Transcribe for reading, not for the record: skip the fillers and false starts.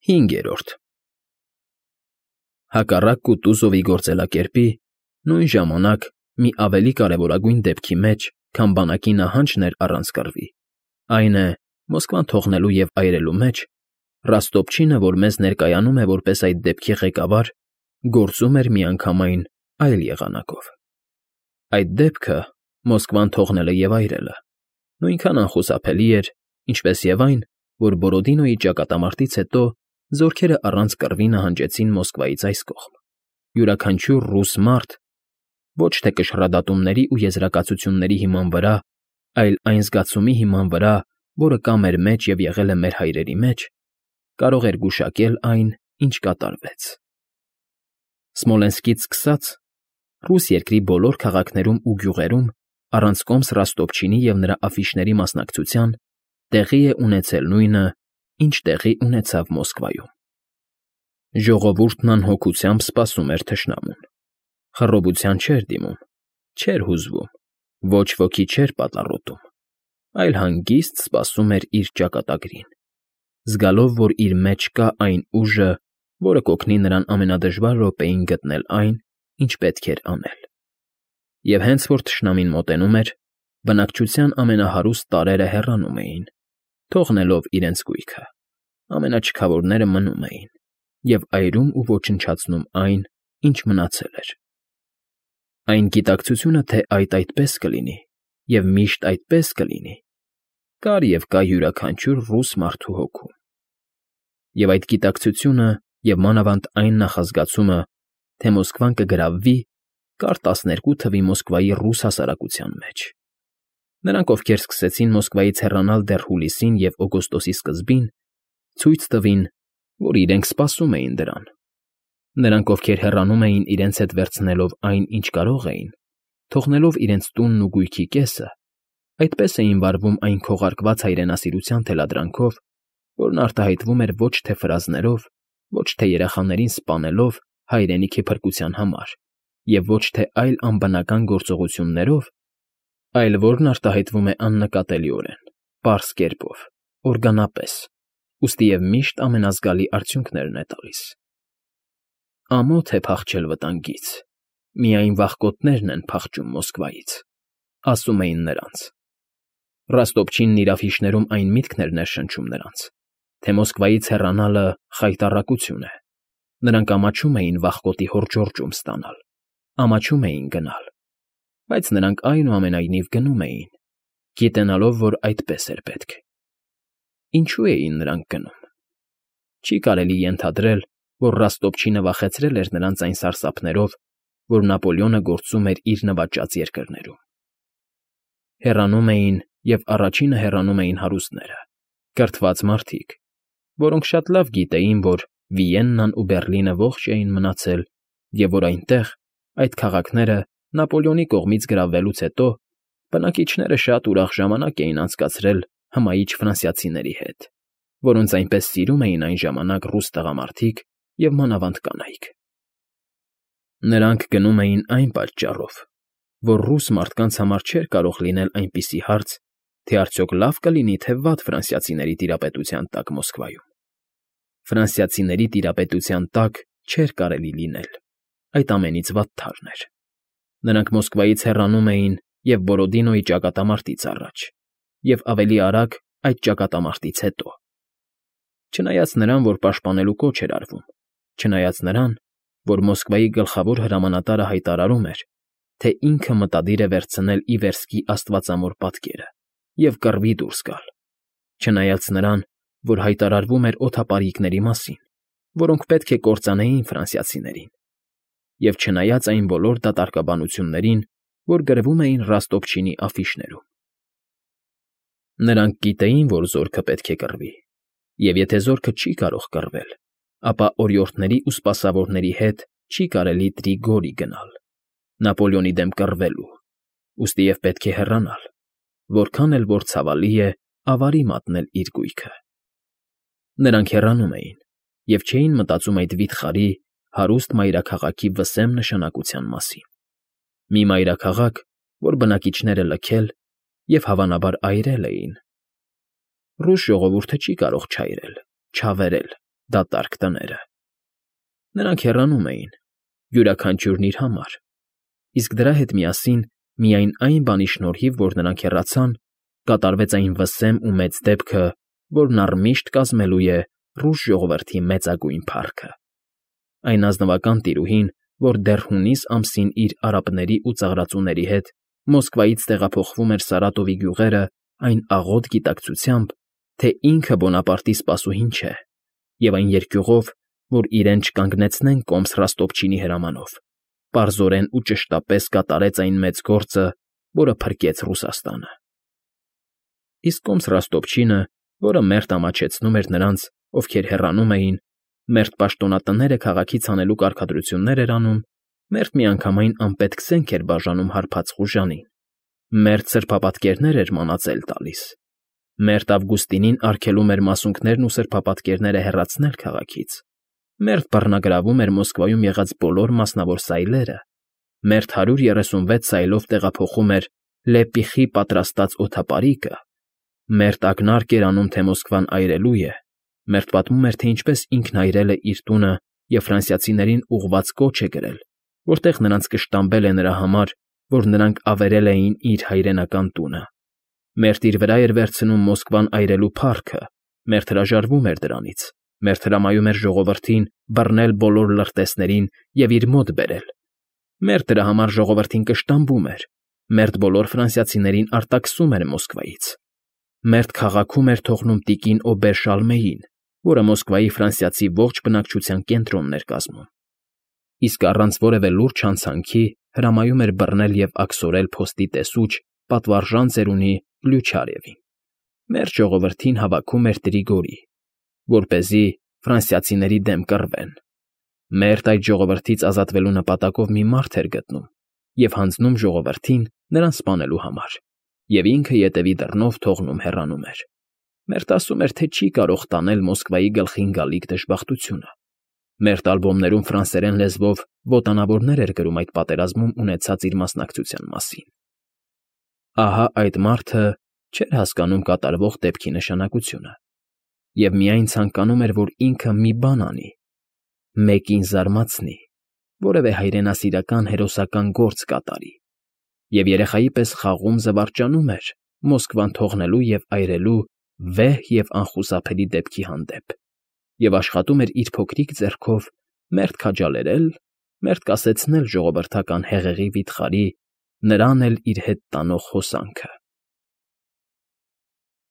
5. Հակառակ Կուտուզովի գործելակերպի, նույն ժամանակ մի ավելի կարևորագույն դեպքի մեջ, քան բանակի նահանջն էր առանց կռվի, այն է, Մոսկվան թողնելու և այրելու մեջ, Ռոստոպչինը, որ մեզ ներկայանում է որպես այդ դեպքի ղեկավար, գործում էր միանգամայն այլ եղանակով։ Այդ դեպքը, Մոսկվան թողնելը և այրելը, նույնքան անխուսափելի էր, ինչպես և այն, որ Բորոդինոյի ճակատամարտից հետո զորքերը առանց կռվի նահանջեցին Մոսկվայից այս կողմ, յուրաքանչյուր ռուս մարդ, ոչ թե կշռադատումների ու եզրակացությունների հիման վրա, այլ այն զգացումի հիման վրա, որը կա մեր մեջ և եղել է մեր հայրերի մեջ, կարող էր գուշակել այն, ինչ կատարվեց։ Սմոլենսկից սկսած, ռուս երկրի բոլոր քաղաքներում ու գյուղերում, առանց Ռոստոպչինի և նրա աֆիշների մասնակցության, տեղի է ունեցել նույնը, ինչ տեղի ունեցավ Մոսկվայում։ Ժողովուրդն անհոգությամբ սպասում էր թշնամուն։ Խռովության չէր դիմում, չէր հուզվում, ոչ ոքի չէր պատառոտում, այլ հանգիստ սպասում էր իր ճակատագրին, զգալով, որ իր մեջ կա այն ուժը, որը կօգնի նրան ամենադժվար րոպեին գտնել այն, ինչ պետք էր անել։ Եվ հենց որ թշնամին մոտենում էր, բնակչության ամենահարուստ տարրերը հեռանում էին, թողնելով իրենց գույքը, ամենաչքավորները մնում էին և այրում ու ոչնչացնում այն, ինչ մնացել էր։ Այն գիտակցությունը, թե այդպես կլինի և միշտ այդպես կլինի, կար և կա յուրաքանչյուր ռուս մարդու հոգում։ Եվ այդ գիտակցությունը և մանավանդ այն նախազգացումը, թե Մոսկվան կգրավվի, կար 12 թվի Մոսկվայի ռուս հասարակության մեջ։ Նրանք, ովքեր սկսեցին Մոսկվայից հեռանալ դեռ հուլիսին և օգոստոսի սկզբին, ցույց տվին, որ իրենք սպասում էին դրան։ Նրանք, ովքեր հեռանում էին իրենց հետ վերցնելով այն, ինչ կարող էին, թողնելով իրենց տունն ու գույքի կեսը, այդպես էին վարվում այն քողարկված հայրենասիրության թելադրանքով, որն արտահայտվում էր ոչ թե ֆրազներով, ոչ թե երեխաներին սպանելով հայրենիքի փրկության համար և ոչ թե այլ անբնական գործողություններով, այլ որն արտահայտվում է աննկատելիորեն, պարզ կերպով, օրգանապես, ուստի և միշտ ամենազգալի արդյունքներն է տալիս։ Ամոթ է փախչել վտանգից, միայն վախկոտներն են փախչում Մոսկվայից, ասում էին նրանց։ Ռոստոպչինն իր աֆիշներում այն միտքն էր ներշնչում նրանց, թե Մոսկվայից հեռանալը խայտառակություն է։ Նրանք ամաչում էին վախկոտի հորջորջում ստանալ, ամաչում էին գնալ, բայց նրանք այնուամենայնիվ գնում էին, գիտենալով, որ այդպես էր պետք։ Ինչու էին նրանք գնում։ Չի կարելի ենթադրել, որ Ռոստոպչինը վախեցրել էր նրանց այն սարսափներով, որ Նապոլեոնը գործում էր իր նվաճած երկրներում։ Հեռանում էին և առաջինը հեռանում էին հարուստները, կրթված մարդիկ, որոնք շատ լավ գիտեին, որ Վիեննան ու Բեռլինը ողջ էին մնացել և որ այնտեղ, այդ քաղաքները Նապոլեոնի կողմից գրավվելուց հետո, բնակիչները շատ ուրախ ժամանակ էին անցկացրել հմայիչ ֆրանսիացիների հետ, որոնց այնպես սիրում էին այն ժամանակ ռուս տղամարդիկ և մանավանդ կանայք։ Նրանք գնում էին այն պատճառով, որ ռուս մարդկանց համար չէր կարող լինել այնպիսի հարց, թե արդյոք լավ կլինի, թե վատ ֆրանսիացիների տիրապետության տակ Մոսկվայում։ Ֆրանսիացիների տիրապետության տակ չէր կարելի լինել, այդ ամենից վատթարն էր։ Նրանք Մոսկվայից հեռանում էին և Բորոդինոյի ճակատամարտից առաջ, և ավելի արագ այդ ճակատամարտից հետո։ Չնայած նրան, որ պաշտպանելու կոչ էր արվում, չնայած նրան, որ Մոսկվայի գլխավոր հրամանատարը հայտարարում էր, թե ինքը մտադիր է վերցնել ի վերսկի աստվածամոր պատկերը և կռվի դուրս գալ, չնայած նրան, որ հայտարարվում էր օդապարիկների մասին, որոնք պետք է կործանեին ֆրանսիացիներին, և չնայած այն բոլոր դատարկաբանություններին, որ գրվում էին Ռոստոպչինի աֆիշներում։ Նրանք գիտեին, որ զորքը պետք է կռվի, և եթե զորքը չի կարող կռվել, ապա օրիորդների ու սպասավորների հետ չի կարելի Տրիգորի գնալ, Նապոլեոնի դեմ կռվելու, ուստի և պետք է հեռանալ, որքան էլ որ ցավալի է ավարի մատնել իր գույքը։ Նրանք հեռանում էին և չէին մտածում այդ վիթխարի, հարուստ մայրաքաղաքի վսեմ նշանակության մասին։ Մի մայրաքաղաք, որ բնակիչները լքել և, հավանաբար, այրել էին։ Ռուս ժողովուրդը չի կարող չայրել, չավերել, դատարկ տները։ Նրանք հեռանում էին, յուրաքանչյուրն իր համար, իսկ դրա հետ միասին, միայն այն բանի շնորհիվ, որ նրանք հեռացան, կատարվեց այն վսեմ ու մեծ դեպքը, որն առմիշտ կազմելու է ռուս ժողովրդի մեծագույն փառքը։ Այն ազնվական տիրուհին, որ դեռ հունիս ամսին իր արաբների ու ծաղրածուների հետ Մոսկվայից տեղափոխվում էր Սարատովի գյուղերը այն աղոտ գիտակցությամբ, թե ինքը Բոնապարտի սպասուհին չէ, և այն երկյուղով, որ իրեն չկանգնեցնեն կոմս Ռոստոպչինի հրամանով, պարզորեն ու ճշտապես կատարեց այն մեծ գործը, որը փրկեց Ռուսաստանը։ Իսկ կոմս Ռոստոպչինը, որը մերթ ամաչեցնում էր նրանց, ովքեր հեռանում էին, մերթ պաշտոնատները քաղաքից հանելու կարգադրություններ էր անում, մերթ միանգամայն անպետք զենք էր բաժանում հարբած խուժանին, մերթ սրբապատկերներ էր մանածել տալիս, մերթ Ավգուստինին արգելում էր մասունքներն ու սրբապատկերները հեռացնել քաղաքից, մերթ բռնագրավում էր Մոսկվայում եղած բոլոր մասնավոր սայլերը, մերթ 136 սայլով տեղափոխում էր Լեպիխի պատրաստած օդապարիկը, մերթ ակնարկ էր անում, թե Մոսկվան այրելու է, մերթ պատմում էր, թե ինչպես ինքն այրել է իր տունը և ֆրանսիացիներին ուղղված կոչ է գրել, որտեղ նրանց կշտամբել է նրա համար, որ նրանք ավերել էին իր հայրենական տունը, մերթ իր վրա էր վերցնում Մոսկվան այրելու փառքը, մերթ հրաժարվում էր դրանից, մերթ հրամայում էր ժողովրդին բռնել բոլոր լրտեսներին և իր մոտ բերել, մերթ դրա համար ժողովրդին կշտամբում էր, մերթ բոլոր ֆրանսիացիներին արտաքսում էր Մոսկվայից, մերթ քաղաքում էր թողնում տիկին Օբեր Շալմեին, որը Մոսկվայի ֆրանսիացի ողջ բնակչության կենտրոնն էր կազմում, իսկ առանց որևէ լուրջ հանցանքի հրամայում էր բռնել և աքսորել փոստի տեսուչ պատվարժան ծերունի Պլյուչարևին, մերթ ժողովրդին հավաքում էր Տրիգորի, որպեսզի ֆրանսիացիների դեմ կռվեն, մերթ այդ ժողովրդից ազատվելու նպատակով մի մարդ էր գտնում և հանձնում ժողովրդին նրան սպանելու համար, և ինքը ետևի դռնով թողնում հեռանում էր, մերթ ասում էր, թե չի կարող տանել Մոսկվայի գլխին գալիք դժբախտությունը, մերթ ալբոմներում ֆրանսերեն լեզվով ոտանավորներ էր գրում այդ պատերազմում ունեցած իր մասնակցության մասին։ Ահա այդ մարդը չէր հասկանում կատարվող դեպքի նշանակությունը և միայն ցանկանում էր, որ ինքը մի բան անի, մեկին զարմացնի, որևէ հայրենասիրական հերոսական գործ կատարի, և երեխայի պես խաղում զվարճանում էր Մոսկվան թողնելու և այրելու վեհ և անխուսափելի դեպքի հանդեպ և աշխատում էր իր փոքրիկ ձեռքով մերթ քաջալերել, մերթ կասեցնել ժողովրդական հեղեղի վիթխարի, նրան էլ իր հետ տանող հոսանքը։